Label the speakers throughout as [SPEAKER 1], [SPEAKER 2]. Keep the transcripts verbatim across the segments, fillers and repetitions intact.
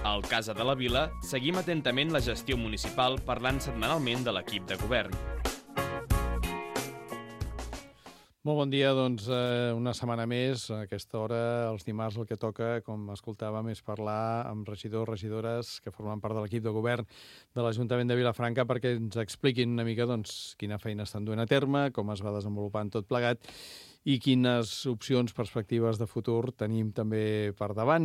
[SPEAKER 1] Al Casa de la Vila seguim atentament la gestió municipal parlant setmanalment de l'equip de govern.
[SPEAKER 2] Molt bon dia, doncs eh, una setmana més. A aquesta hora, els dimarts, el que toca, com escoltàvem, és parlar amb regidors, regidores que formen part de l'equip de govern de l'Ajuntament de Vilafranca perquè ens expliquin una mica doncs, quina feina estan duent a terme, com es va desenvolupant tot plegat i quines opcions, perspectives de futur tenim també per davant.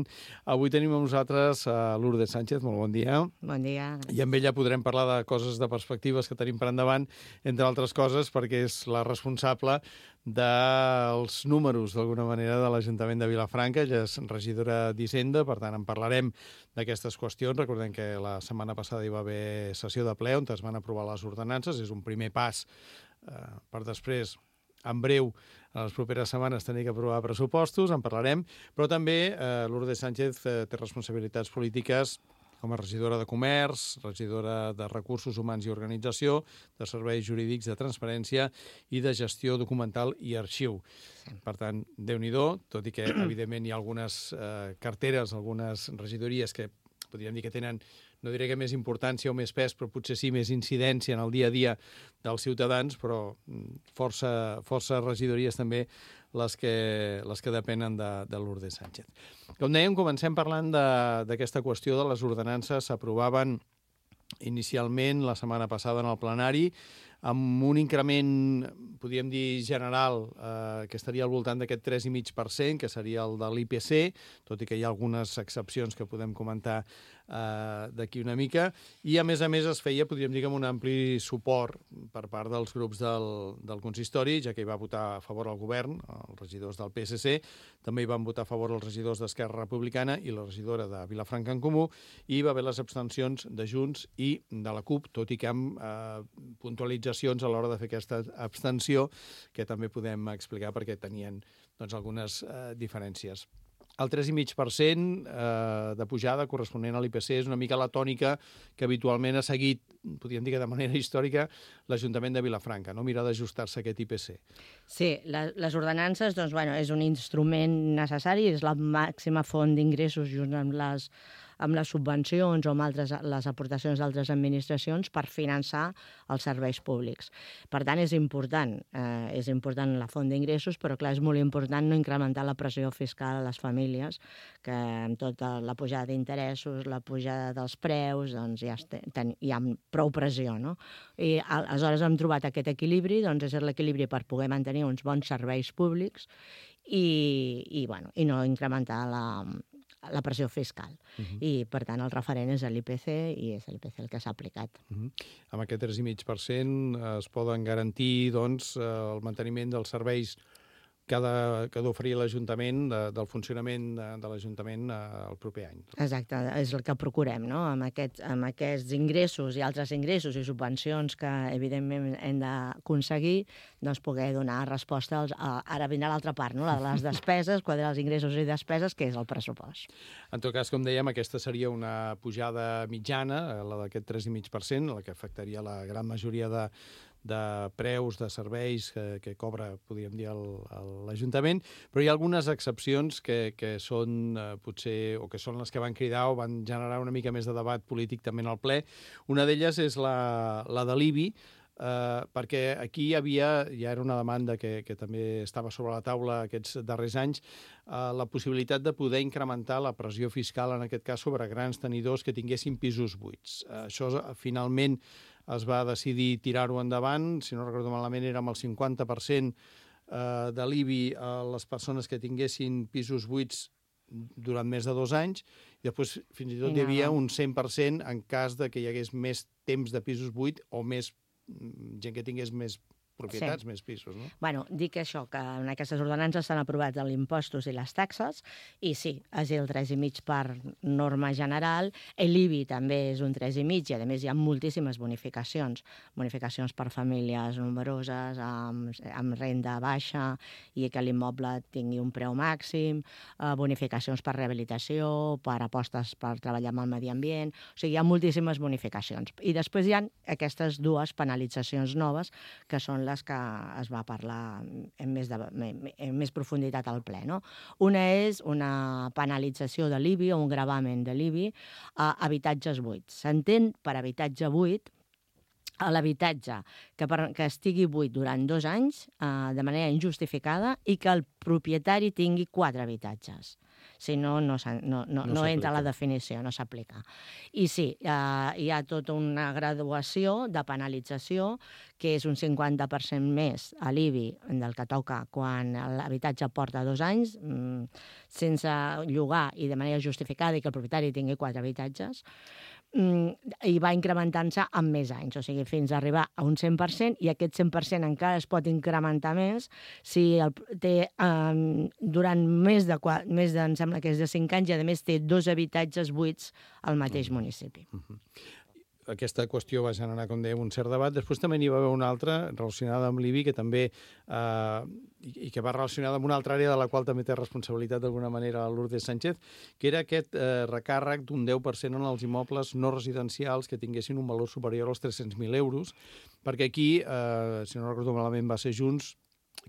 [SPEAKER 2] Avui tenim amb nosaltres a Lourdes Sánchez. Molt bon dia.
[SPEAKER 3] Bon dia.
[SPEAKER 2] I amb ella podrem parlar de coses, de perspectives que tenim per endavant, entre altres coses, perquè és la responsable dels números, d'alguna manera, de l'Ajuntament de Vilafranca. Ella és regidora d'Hisenda, per tant, en parlarem d'aquestes qüestions. Recordem que la setmana passada hi va haver sessió de ple on es van aprovar les ordenances. És un primer pas eh, per després, en breu, en les properes setmanes, tenir que aprovar pressupostos, en parlarem, però també eh, Lourdes Sánchez eh, té responsabilitats polítiques com a regidora de Comerç, regidora de Recursos Humans i Organització, de Serveis Jurídics, de Transparència i de Gestió Documental i Arxiu. Per tant, Déu-n'hi-do, tot i que, evidentment, hi ha algunes eh, carteres, algunes regidories que podríem dir que tenen, no diré que més importància o més pes, però potser sí més incidència en el dia a dia dels ciutadans, però força, força regidories també les que, les que depenen de, de Lourdes Sánchez. Com dèiem, comencem parlant d'aquesta qüestió de les ordenances. S'aprovaven inicialment la setmana passada en el plenari amb un increment, podríem dir, general, eh, que estaria al voltant d'aquest tres coma cinc per cent, que seria el de l'I P C, tot i que hi ha algunes excepcions que podem comentar eh, d'aquí una mica, i a més a més es feia, podríem dir, amb un ampli suport per part dels grups del, del consistori, ja que hi va votar a favor el govern, els regidors del P S C, també hi van votar a favor els regidors d'Esquerra Republicana i la regidora de Vilafranca en Comú, i hi va haver les abstencions de Junts i de la CUP, tot i que amb eh, puntualització a l'hora de fer aquesta abstenció, que també podem explicar perquè tenien doncs, algunes eh, diferències. El tres coma cinc per cent eh, de pujada corresponent a l'I P C és una mica la tònica que habitualment ha seguit, podríem dir que de manera històrica, l'Ajuntament de Vilafranca, no? Mirar d'ajustar-se a aquest I P C.
[SPEAKER 3] Sí, la, les ordenances doncs, bueno, és un instrument necessari, és la màxima font d'ingressos junt amb les amb les subvencions o amb altres, les aportacions d'altres administracions per finançar els serveis públics. Per tant, és important, eh, és important la font d'ingressos, però clar, és molt important no incrementar la pressió fiscal a les famílies, que amb tota la pujada d'interessos, la pujada dels preus, doncs ja ten, hi ha prou pressió, no? I aleshores hem trobat aquest equilibri, doncs és l'equilibri per poder mantenir uns bons serveis públics i, i, bueno, i no incrementar la la pressió fiscal. Uh-huh. I, per tant, el referent és l'I P C i és l'I P C el que s'ha aplicat.
[SPEAKER 2] Uh-huh. Amb aquest tres coma cinc per cent es poden garantir doncs, el manteniment dels serveis que ha de, que ha d'oferir l'Ajuntament, de, del funcionament de, de l'Ajuntament el proper any.
[SPEAKER 3] Exacte, és el que procurem, no? Amb, aquest, amb aquests ingressos i altres ingressos i subvencions que, evidentment, hem d'aconseguir, doncs poder donar resposta als... A, ara vindrà l'altra part, no? La de les despeses, quadrar els ingressos i despeses, que és el pressupost.
[SPEAKER 2] En tot cas, com dèiem, aquesta seria una pujada mitjana, la d'aquest tres coma cinc per cent, la que afectaria la gran majoria de de preus, de serveis que, que cobra, podríem dir, l'Ajuntament, però hi ha algunes excepcions que, que són eh, potser, o que són les que van cridar o van generar una mica més de debat polític també en el ple. Una d'elles és la, la de l'I B I, eh, perquè aquí hi havia, ja era una demanda que, que també estava sobre la taula aquests darrers anys, eh, la possibilitat de poder incrementar la pressió fiscal, en aquest cas, sobre grans tenidors que tinguessin pisos buits. Eh, això, finalment, es va decidir tirar-ho endavant, si no recordo malament era amb el cinquanta per cent de l'I B I a les persones que tinguessin pisos buits durant més de dos anys, i després fins i tot hi havia un cent per cent en cas de que hi hagués més temps de pisos buits o més gent que tingués més propietats, sí. Més pisos, no?
[SPEAKER 3] Bueno, dic això, que en aquestes ordenances s'han aprovat els impostos i les taxes, i sí, és el tres coma cinc per norma general, l'I B I també és un tres coma cinc, i a més hi ha moltíssimes bonificacions, bonificacions per famílies nombroses, amb, amb renda baixa, i que l'immoble tingui un preu màxim, eh, bonificacions per rehabilitació, per apostes per treballar amb el medi ambient, o sigui, hi ha moltíssimes bonificacions. I després hi ha aquestes dues penalitzacions noves, que són són les que es va parlar en més, de, en més profunditat al ple. No? Una és una penalització de l'I B I o un gravamen de l'I B I a habitatges buits. S'entén per habitatge buit a l'habitatge que, per, que estigui buit durant dos anys eh, de manera injustificada i que el propietari tingui quatre habitatges. Si no, no, no, no, no entra a la definició, no s'aplica. I sí, eh, hi ha tota una graduació de penalització que és un cinquanta per cent més a l'I B I del que toca quan l'habitatge porta dos anys mm, sense llogar i de manera justificada i que el propietari tingui quatre habitatges, i va incrementant-se amb més anys, o sigui, fins a arribar a un cent per cent, i aquest cent per cent encara es pot incrementar més si el, té um, durant més de, més de, em sembla que és de cinc anys, i a més té dos habitatges buits al mateix municipi.
[SPEAKER 2] Uh-huh. Aquesta qüestió va generar, com dèiem, un cert debat. Després també n'hi va haver una altra relacionada amb l'I B I, que també eh, i que va relacionada amb una altra àrea de la qual també té responsabilitat d'alguna manera Lourdes Sánchez, que era aquest eh, recàrrec d'un deu per cent en els immobles no residencials que tinguessin un valor superior als tres-cents mil euros, perquè aquí, eh, si no recordo malament, va ser Junts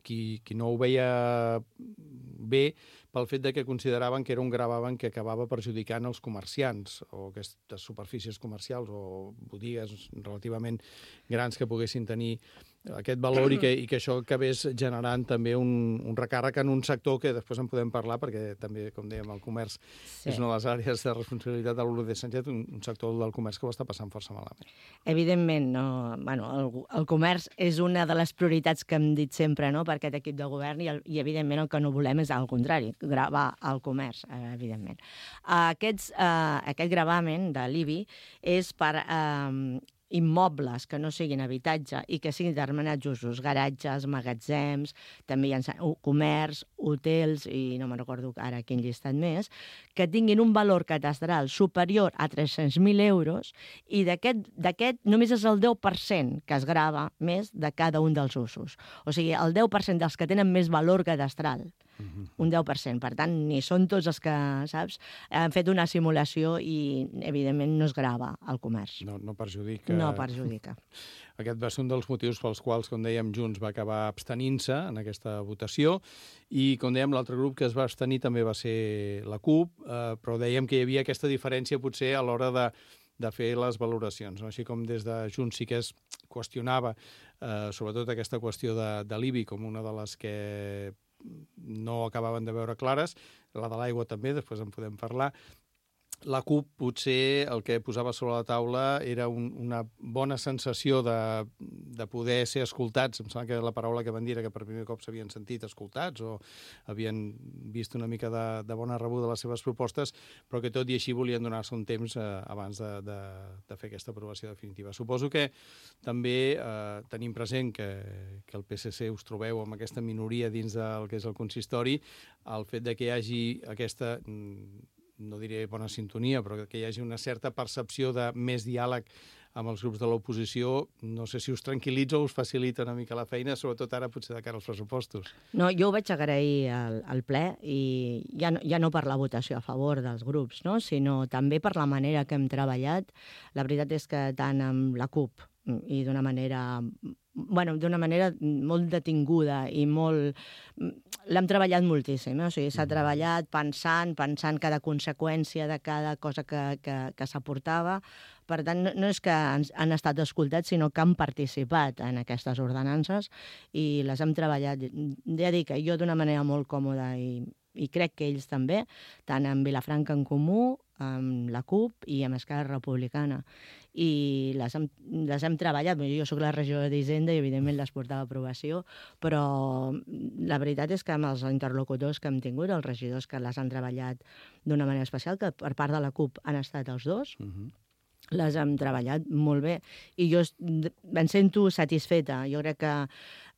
[SPEAKER 2] qui, qui no ho veia bé pel fet de que consideraven que era un gravamen que acabava perjudicant els comerciants o aquestes superfícies comercials o botigues relativament grans que poguessin tenir aquest valor i que, i que això acabés generant també un, un recàrrec en un sector que després en podem parlar perquè també, com dèiem, el comerç sí. és una de les àrees de responsabilitat de Lourdes Sánchez, un, un sector del comerç que ho està passant força malament.
[SPEAKER 3] Evidentment, no, bueno, el, el comerç és una de les prioritats que hem dit sempre, no?, per aquest equip de govern i, el, i evidentment el que no volem és al contrari, gravar el comerç, eh, evidentment. Aquests, eh, aquest gravamen de l'I B I és per eh, immobles que no siguin habitatge i que siguin determinats usos, garatges, magatzems, també hi ha comerç, hotels, i no me'n recordo ara quin llistat més, que tinguin un valor catastral superior a tres-cents mil euros i d'aquest només és el deu per cent que es grava més de cada un dels usos. O sigui, el deu per cent dels que tenen més valor catastral. Un deu per cent. Per tant, ni són tots els que, saps, han fet una simulació i, evidentment, no es grava el comerç.
[SPEAKER 2] No, no perjudica.
[SPEAKER 3] No perjudica.
[SPEAKER 2] Aquest va ser un dels motius pels quals, com dèiem, Junts va acabar abstenint-se en aquesta votació i, com dèiem, l'altre grup que es va abstenir també va ser la CUP, eh, però dèiem que hi havia aquesta diferència potser a l'hora de de fer les valoracions. No? Així com des de Junts sí que es qüestionava eh, sobretot aquesta qüestió de, de l'I B I com una de les que no acabaven de veure clares, la de l'aigua també, després en podem parlar. La CUP potser el que posava sobre la taula era un, una bona sensació de, de poder ser escoltats. Em sembla que la paraula que van dir era que per primer cop s'havien sentit escoltats o havien vist una mica de, de bona rebuda de les seves propostes, però que tot i així volien donar-se un temps eh, abans de, de, de fer aquesta aprovació definitiva. Suposo que també eh, tenim present que, que el P S C us trobeu amb aquesta minoria dins del que és el consistori, el fet de que hi hagi aquesta no diré bona sintonia, però que hi hagi una certa percepció de més diàleg amb els grups de l'oposició, no sé si us tranquil·litza o us facilita una mica la feina, sobretot ara potser de cara als pressupostos.
[SPEAKER 3] No, jo ho vaig agrair al, al ple i ja no, ja no per la votació a favor dels grups, no? Sinó també per la manera que hem treballat. La veritat és que tant amb la CUP i d'una manera, bueno, d'una manera molt detinguda i molt... L'hem treballat moltíssim, eh? O sigui, s'ha treballat pensant, pensant cada conseqüència de cada cosa que, que, que s'aportava. Per tant, no, no és que han, han estat escoltats, sinó que han participat en aquestes ordenances i les hem treballat, ja dic, jo d'una manera molt còmoda i, i crec que ells també, tant amb Vilafranca en Comú, amb la CUP i amb Esquerra Republicana. I les hem, les hem treballat. Jo soc la regidora d'Hisenda i, evidentment, les portava a aprovació, però la veritat és que amb els interlocutors que hem tingut, els regidors que les han treballat d'una manera especial, que per part de la CUP han estat els dos, uh-huh. les hem treballat molt bé. I jo em sento satisfeta. Jo crec que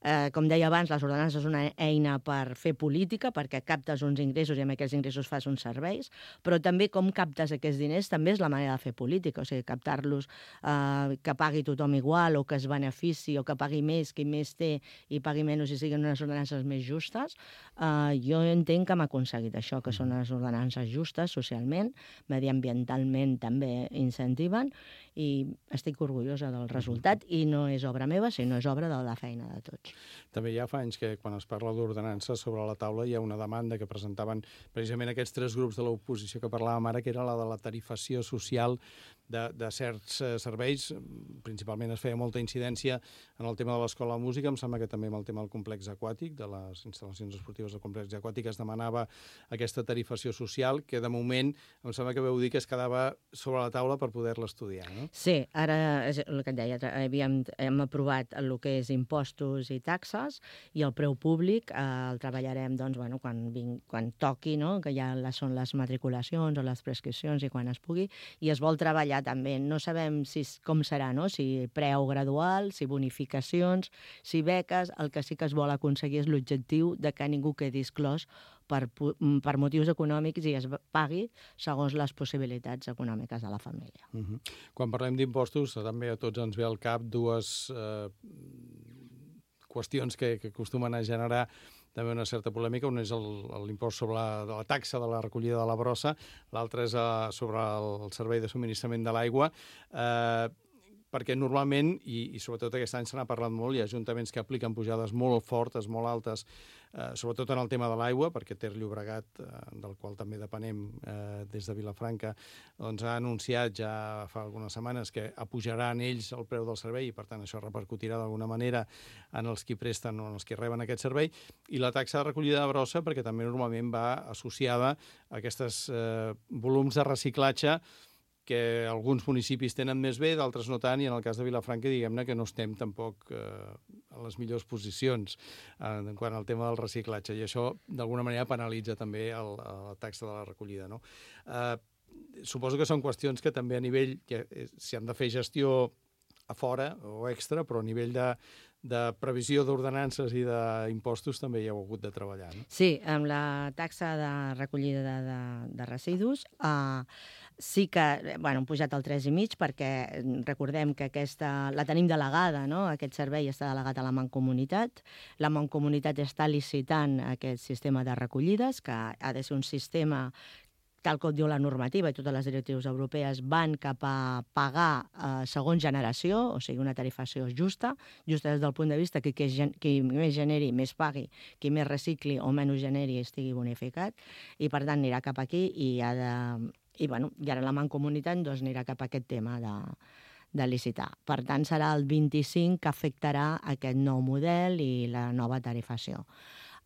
[SPEAKER 3] Eh, com deia abans, les ordenances és una eina per fer política, perquè captes uns ingressos i amb aquests ingressos fas uns serveis, però també com captes aquests diners també és la manera de fer política, o sigui, captar-los eh, que pagui tothom igual o que es benefici o que pagui més, qui més té i pagui menys i siguin unes ordenances més justes. Eh, jo entenc que hem aconseguit això, que són unes ordenances justes socialment, mediambientalment també incentiven, i estic orgullosa del resultat, i no és obra meva, sinó és obra de la feina de tots.
[SPEAKER 2] També ja fa anys que quan es parla d'ordenances sobre la taula hi ha una demanda que presentaven precisament aquests tres grups de l'oposició que parlàvem ara, que era la de la tarifació social de, de certs eh, serveis. Principalment es feia molta incidència en el tema de l'escola de música, em sembla que també amb el tema del complex aquàtic, de les instal·lacions esportives del complex aquàtic, es demanava aquesta tarifació social, que de moment em sembla que veu dir que es quedava sobre la taula per poder-la estudiar, no?
[SPEAKER 3] Sí, ara és el que et deia, havíem, hem aprovat el que és impostos i taxes, i el preu públic eh, el treballarem doncs, bueno, quan, vinc, quan toqui, no? Que ja les, són les matriculacions o les prescripcions i quan es pugui, i es vol treballar també. No sabem si, com serà, no? Si preu gradual, si bonificacions, si beques. El que sí que es vol aconseguir és l'objectiu de que ningú quedi exclòs per, per motius econòmics i es pagui segons les possibilitats econòmiques de la família.
[SPEAKER 2] Uh-huh. Quan parlem d'impostos, també a tots ens ve al cap dues eh, qüestions que, que acostumen a generar també una certa polèmica. Un és l'impost sobre la, de la taxa de la recollida de la brossa, l'altre és uh, sobre el servei de subministrament de l'aigua, eh, perquè normalment, i, i sobretot aquest any se n'ha parlat molt, hi ha ajuntaments que apliquen pujades molt fortes, molt altes, eh, sobretot en el tema de l'aigua, perquè Ter Llobregat, eh, del qual també depenem eh, des de Vilafranca, doncs ha anunciat ja fa algunes setmanes que apujaran ells el preu del servei i per tant això repercutirà d'alguna manera en els qui presten o en els qui reben aquest servei, i la taxa de recollida de brossa, perquè també normalment va associada a aquests eh, volums de reciclatge que alguns municipis tenen més bé, d'altres no tant, i en el cas de Vilafranca, diguem-ne que no estem tampoc eh, a les millors posicions eh, en quant al tema del reciclatge, i això d'alguna manera penalitza també el, la taxa de la recollida, no? Eh, suposo que són qüestions que també a nivell, que s'hi han de fer gestió a fora o extra, però a nivell de, de previsió d'ordenances i d'impostos també hi heu hagut de treballar, no?
[SPEAKER 3] Sí, amb la taxa de recollida de, de, de residus eh, sí que, bueno, hem pujat al tres i mig perquè recordem que aquesta la tenim delegada, no? Aquest servei està delegat a la Mancomunitat. La Mancomunitat està licitant aquest sistema de recollides, que ha de ser un sistema tal com diu la normativa i totes les directrius europees, van cap a pagar eh, segons generació, o sigui, una tarifació justa, justa des del punt de vista que qui, qui més generi, més pagui, qui més recicli o menys generi estigui bonificat, i per tant anirà cap aquí i ha de... I, bueno, i ara la Mancomunitat doncs, anirà cap a aquest tema de, de licitar. Per tant, serà el vint-i-cinc que afectarà aquest nou model i la nova tarifació.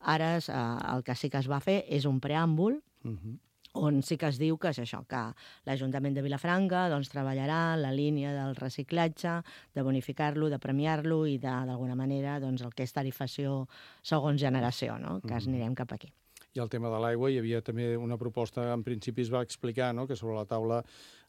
[SPEAKER 3] Ara eh, el que sí que es va fer és un preàmbul, uh-huh. on sí que es diu que és això, que l'Ajuntament de Vilafranca doncs, treballarà la línia del reciclatge, de bonificar-lo, de premiar-lo i d'alguna manera doncs, el que és tarifació segons generació, no? Que uh-huh. anirem cap aquí.
[SPEAKER 2] I el tema de l'aigua, hi havia també una proposta, en principi es va explicar, no?, que sobre la taula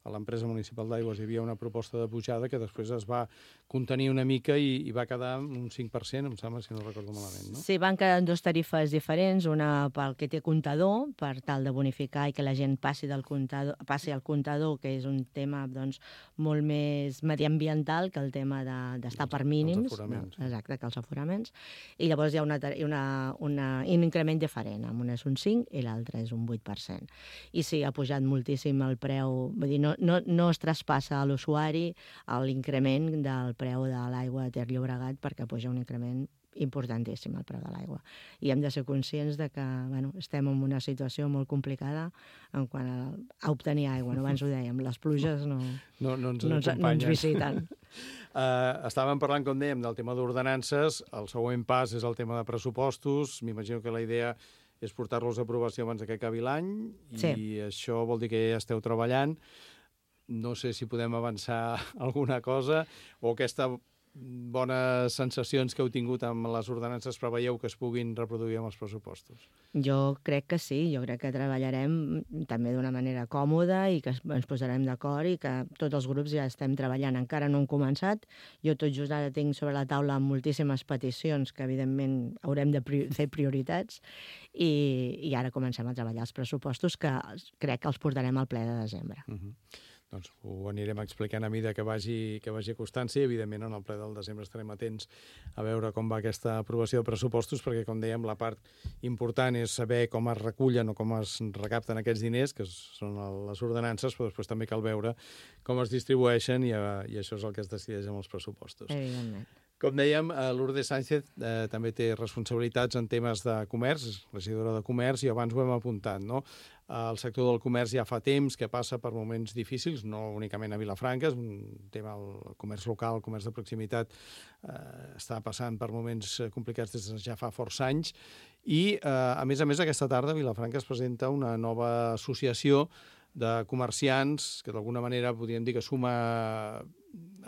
[SPEAKER 2] a l'empresa municipal d'aigües hi havia una proposta de pujada que després es va contenir una mica i, i va quedar un cinc per cent, em sembla, si no recordo malament, no?
[SPEAKER 3] Sí, van quedar dues tarifes diferents, una pel que té comptador, per tal de bonificar i que la gent passi, del comptador, passi al comptador, que és un tema doncs, molt més mediambiental que el tema d'estar de, per mínims.
[SPEAKER 2] Els aforaments.
[SPEAKER 3] No, exacte, que els aforaments. I llavors hi ha una, una, una, un increment diferent, amb una és un cinc i l'altra és un vuit per cent. I sí, ha pujat moltíssim el preu, vull dir, no, no, no es traspassa a l'usuari l'increment del preu de l'aigua de Ter Llobregat perquè puja un increment importantíssim el preu de l'aigua. I hem de ser conscients de que bueno, estem en una situació molt complicada en quant a, a obtenir aigua. No? Abans ho dèiem, les pluges no,
[SPEAKER 2] no, no, ens,
[SPEAKER 3] no, ens, no ens visiten.
[SPEAKER 2] Uh, estàvem parlant, com dèiem, del tema d'ordenances. El següent pas és el tema de pressupostos. M'imagino que la idea és portar-los a aprovació abans que acabi l'any,
[SPEAKER 3] sí.
[SPEAKER 2] I això vol dir que ja esteu treballant. No sé si podem avançar alguna cosa o aquesta bones sensacions que heu tingut amb les ordenances preveieu que es puguin reproduir amb els pressupostos?
[SPEAKER 3] Jo crec que sí, jo crec que treballarem també d'una manera còmoda i que ens posarem d'acord i que tots els grups ja estem treballant. Encara no hem començat, jo tot just ara tinc sobre la taula moltíssimes peticions que evidentment haurem de pri- fer prioritats i, i ara comencem a treballar els pressupostos que crec que els portarem al ple de desembre.
[SPEAKER 2] Uh-huh. Doncs ho anirem explicant a mida que vagi, que vagi acostant-se i, evidentment, en el ple del desembre estarem atents a veure com va aquesta aprovació de pressupostos, perquè, com dèiem, la part important és saber com es recullen o com es recapten aquests diners, que són les ordenances, però després també cal veure com es distribueixen i, i això és el que es decideix amb els pressupostos.
[SPEAKER 3] Evidentment.
[SPEAKER 2] Com dèiem, Lourdes Sánchez eh, també té responsabilitats en temes de comerç, és regidora de comerç, i abans ho hem apuntat, no? El sector del comerç ja fa temps que passa per moments difícils, no únicament a Vilafranca, és un tema, el comerç local, el comerç de proximitat, eh, està passant per moments complicats des de ja fa força anys, i, eh, a més a més, aquesta tarda a Vilafranca es presenta una nova associació de comerciants, que d'alguna manera podríem dir que suma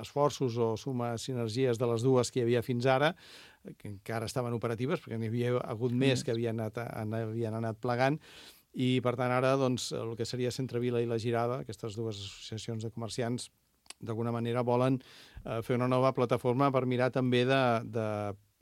[SPEAKER 2] esforços o suma sinergies de les dues que hi havia fins ara, que encara estaven operatives, perquè n'hi havia hagut més que havien anat, havien anat plegant, i per tant ara doncs, el que seria Centrevila i la Girada, aquestes dues associacions de comerciants, d'alguna manera volen eh, fer una nova plataforma per mirar també de, de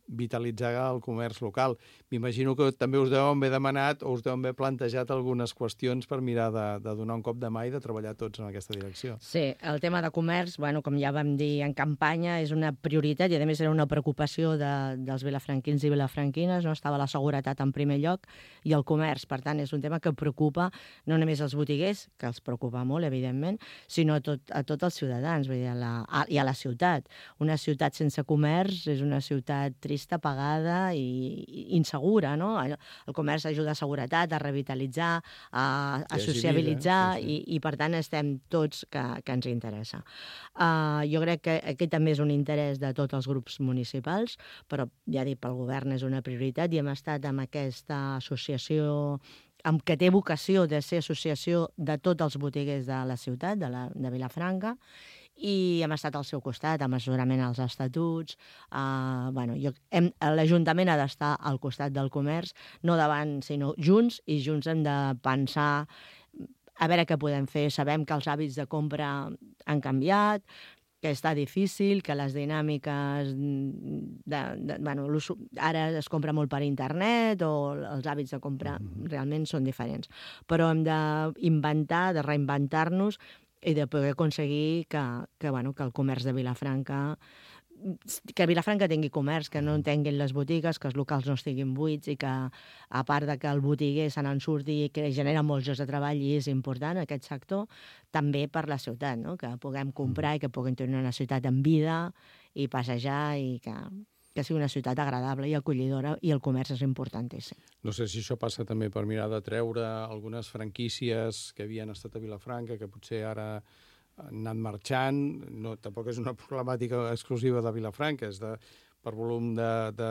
[SPEAKER 2] vitalitzar el comerç local. M'imagino que també us deuen haver demanat o us deuen haver plantejat algunes qüestions per mirar de, de donar un cop de mà i de treballar tots en aquesta direcció.
[SPEAKER 3] Sí, el tema de comerç, bueno, com ja vam dir en campanya, és una prioritat i a més era una preocupació de, dels vilafranquins i vilafranquines, no estava la seguretat en primer lloc i el comerç, per tant és un tema que preocupa no només els botiguers, que els preocupa molt, evidentment, sinó a, tot, a tots els ciutadans, vull dir, a la, a, i a la ciutat. Una ciutat sense comerç és una ciutat trista, pagada i, i insegura, no? El, el comerç ajuda a seguretat, a revitalitzar, a, a sociabilitzar vida, sí, sí. I, i per tant estem tots que, que ens interessa. Uh, jo crec que aquest també és un interès de tots els grups municipals, però ja dic, pel govern és una prioritat i hem estat amb aquesta associació amb que té vocació de ser associació de tots els botiguers de la ciutat, de, la, de Vilafranca, i hem estat al seu costat, amb assessorament als estatuts. Uh, bueno, l'Ajuntament ha d'estar al costat del comerç, no davant, sinó junts, i junts hem de pensar a veure què podem fer. Sabem que els hàbits de compra han canviat, que està difícil, que les dinàmiques... De, de, bueno, ara es compra molt per internet o els hàbits de compra realment són diferents. Però hem d'inventar, de reinventar-nos i de poder aconseguir que, que, bueno, que el comerç de Vilafranca... que Vilafranca tingui comerç, que no en tinguin les botigues, que els locals no estiguin buits i que, a part de que el botiguer se n'en surti i que genera molts llocs de treball i és important aquest sector, també per la ciutat, no? Que puguem comprar i que puguem tenir una ciutat en vida i passejar i que, que sigui una ciutat agradable i acollidora, i el comerç és importantíssim.
[SPEAKER 2] No sé si això passa també per mirar de treure algunes franquícies que havien estat a Vilafranca, que potser ara han anat marxant. No, tampoc és una problemàtica exclusiva de Vilafranca, és de, per volum de, de,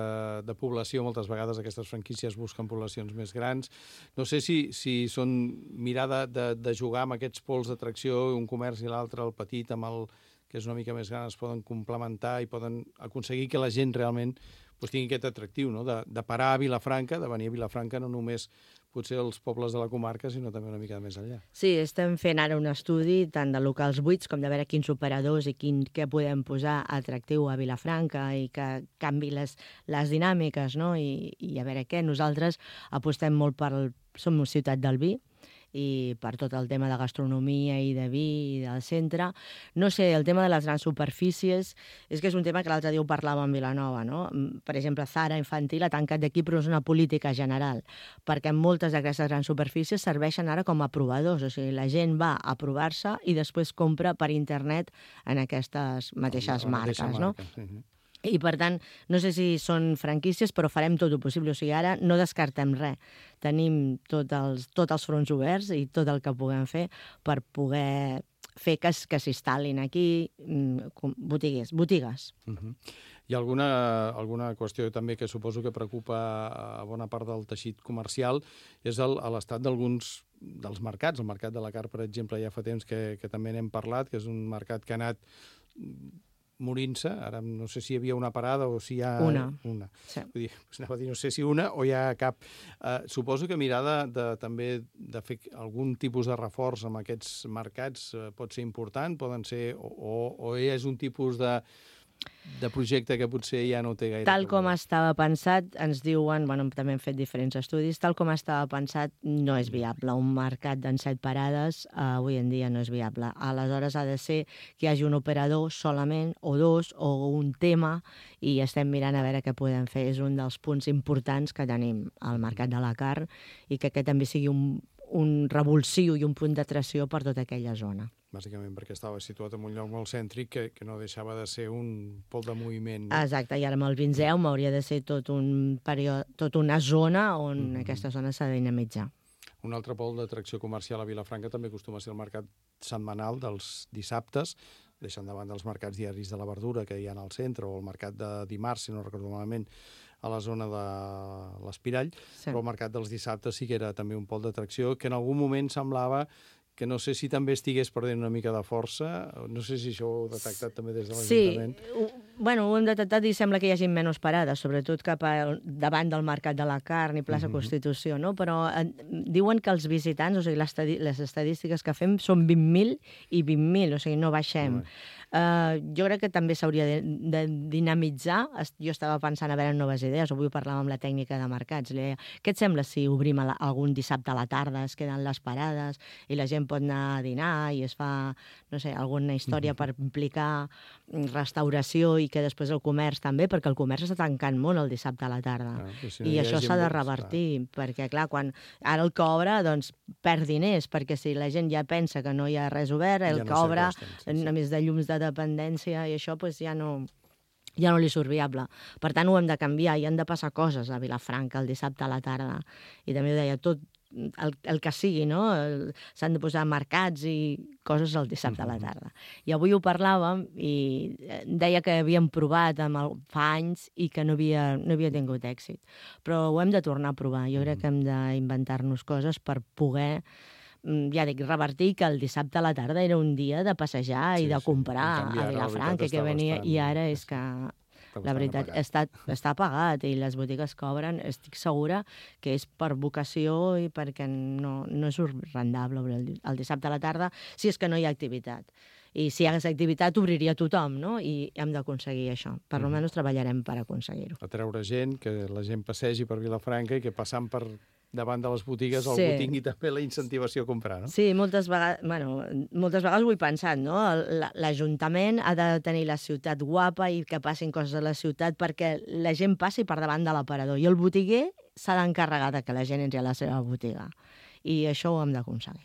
[SPEAKER 2] de població, moltes vegades aquestes franquícies busquen poblacions més grans. No sé si, si són mirar de, de, de jugar amb aquests pols d'atracció, un comerç i l'altre, el petit amb el que és una mica més gran, es poden complementar i poden aconseguir que la gent realment pues, tingui aquest atractiu, no? de, de parar a Vilafranca, de venir a Vilafranca, no només potser els pobles de la comarca, sinó també una mica més enllà.
[SPEAKER 3] Sí, estem fent ara un estudi tant de locals buits com de veure quins operadors i quin, què podem posar atractiu a Vilafranca i que canvi les, les dinàmiques, no? I, i a veure què. Nosaltres apostem molt per... Som una ciutat del vi, i per tot el tema de gastronomia i de vi i del centre. No sé, el tema de les grans superfícies és que és un tema que l'altre dia ho parlàvem a Vilanova, no? Per exemple, Zara Infantil ha tancat d'aquí, però és una política general, perquè moltes d'aquestes grans superfícies serveixen ara com a provadors, o sigui, la gent va a provar-se i després compra per internet en aquestes mateixes
[SPEAKER 2] la, la
[SPEAKER 3] marques,
[SPEAKER 2] marca,
[SPEAKER 3] no?
[SPEAKER 2] Sí, sí.
[SPEAKER 3] I, per tant, no sé si són franquícies, però farem tot el possible. O sigui, ara no descartem res. Tenim tots els, tots els fronts oberts i tot el que puguem fer per poder fer que, que s'instal·lin aquí botigues. botigues.
[SPEAKER 2] Uh-huh. Hi ha alguna, alguna qüestió també que suposo que preocupa a bona part del teixit comercial, és l'estat d'alguns dels mercats. El mercat de la carn, per exemple, ja fa temps que, que també n'hem parlat, que és un mercat que ha anat morint-se. Ara no sé si hi havia una parada o si hi ha...
[SPEAKER 3] Una.
[SPEAKER 2] Una.
[SPEAKER 3] Sí.
[SPEAKER 2] Vull dir, anava a dir, no sé si una o hi ha cap... Uh, suposo que mirar de, de, també de fer algun tipus de reforç amb aquests mercats uh, pot ser important, poden ser... O, o, o és un tipus de... de projecte que potser ja no té gaire...
[SPEAKER 3] Tal com estava pensat, ens diuen, bueno, també hem fet diferents estudis, tal com estava pensat no és viable. Un mercat d'en set parades uh, avui en dia no és viable. Aleshores ha de ser que hi hagi un operador solament, o dos, o un tema, i estem mirant a veure què podem fer. És un dels punts importants que tenim al mercat de la carn i que aquest també sigui un, un revulsiu i un punt d'atracció per tota aquella zona.
[SPEAKER 2] Bàsicament perquè estava situat en un lloc molt cèntric que, que no deixava de ser un pol de moviment. No?
[SPEAKER 3] Exacte, i ara amb el Vinzeu hauria de ser tot un període, tot una zona on mm-hmm. aquesta zona s'ha de dinamitzar.
[SPEAKER 2] Un altre pol d'atracció comercial a Vilafranca també acostuma a ser el mercat setmanal dels dissabtes, deixant de banda els mercats diaris de la verdura que hi ha al centre, o el mercat de dimarts, si no recordo malament, a la zona de l'Espirall, sí. Però el mercat dels dissabtes sí que era també un pol d'atracció que en algun moment semblava que no sé si també estigués perdent una mica de força, no sé si això ho heu detectat també des de l'Ajuntament.
[SPEAKER 3] Sí, bueno, ho hem detectat i sembla que hi hagi menys parades, sobretot cap a, davant del Mercat de la Carn i plaça mm-hmm. Constitució, no? Però eh, diuen que els visitants, o sigui, les, les estadístiques que fem són vint mil i vint mil, o sigui, no baixem. Mm. Uh, jo crec que també s'hauria de, de dinamitzar. Jo estava pensant a veure noves idees, avui parlàvem amb la tècnica de mercats, li deia, què et sembla si obrim la, algun dissabte a la tarda, es queden les parades i la gent pot anar a dinar i es fa, no sé, alguna història per implicar restauració i que després el comerç també, perquè el comerç està tancant molt el dissabte a la tarda. Ah, si no I això s'ha de revertir, clar. Perquè, clar, quan ara el que obre, doncs, perd diners, perquè si la gent ja pensa que no hi ha res obert, el ja no que obre, sí, sí. A més de llums de dependència i això, doncs ja no... ja no li surt viable. Per tant, ho hem de canviar i han de passar coses a Vilafranca el dissabte a la tarda. I també ho deia, tot el, el que sigui, no? S'han de posar mercats i coses el dissabte a la tarda. I avui ho parlàvem i deia que havíem provat amb el, fa anys i que no havia, no havia tingut èxit. Però ho hem de tornar a provar. Jo crec que hem d'inventar-nos coses per poder, ja dic, revertir que el dissabte a la tarda era un dia de passejar sí, i de comprar sí. a Vilafranca, que venia, bastant, i ara és que la veritat està, està pagat i les botigues que obren, estic segura que és per vocació i perquè no, no és rendable obrir el, el dissabte a la tarda si és que no hi ha activitat. I si hi hagués activitat obriria tothom, no? I hem d'aconseguir això. Per almenys treballarem per aconseguir-ho.
[SPEAKER 2] Atreure gent, que la gent passegi per Vilafranca i que passant per davant de les botigues sí. algú tingui també la incentivació a comprar, no?
[SPEAKER 3] Sí, moltes vegades, bueno, moltes vegades ho he pensat, no? L'Ajuntament ha de tenir la ciutat guapa i que passin coses a la ciutat perquè la gent passi per davant de l'aparador i el botiguer s'ha d'encarregar de que la gent entri a la seva botiga. I això ho hem d'aconseguir.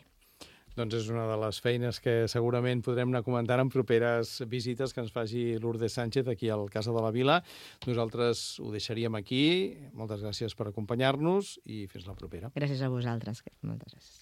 [SPEAKER 2] Doncs és una de les feines que segurament podrem anar comentant en properes visites que ens faci Lourdes Sánchez aquí al Casa de la Vila. Nosaltres ho deixaríem aquí. Moltes gràcies per acompanyar-nos i fins la propera.
[SPEAKER 3] Gràcies a vosaltres. Moltes gràcies.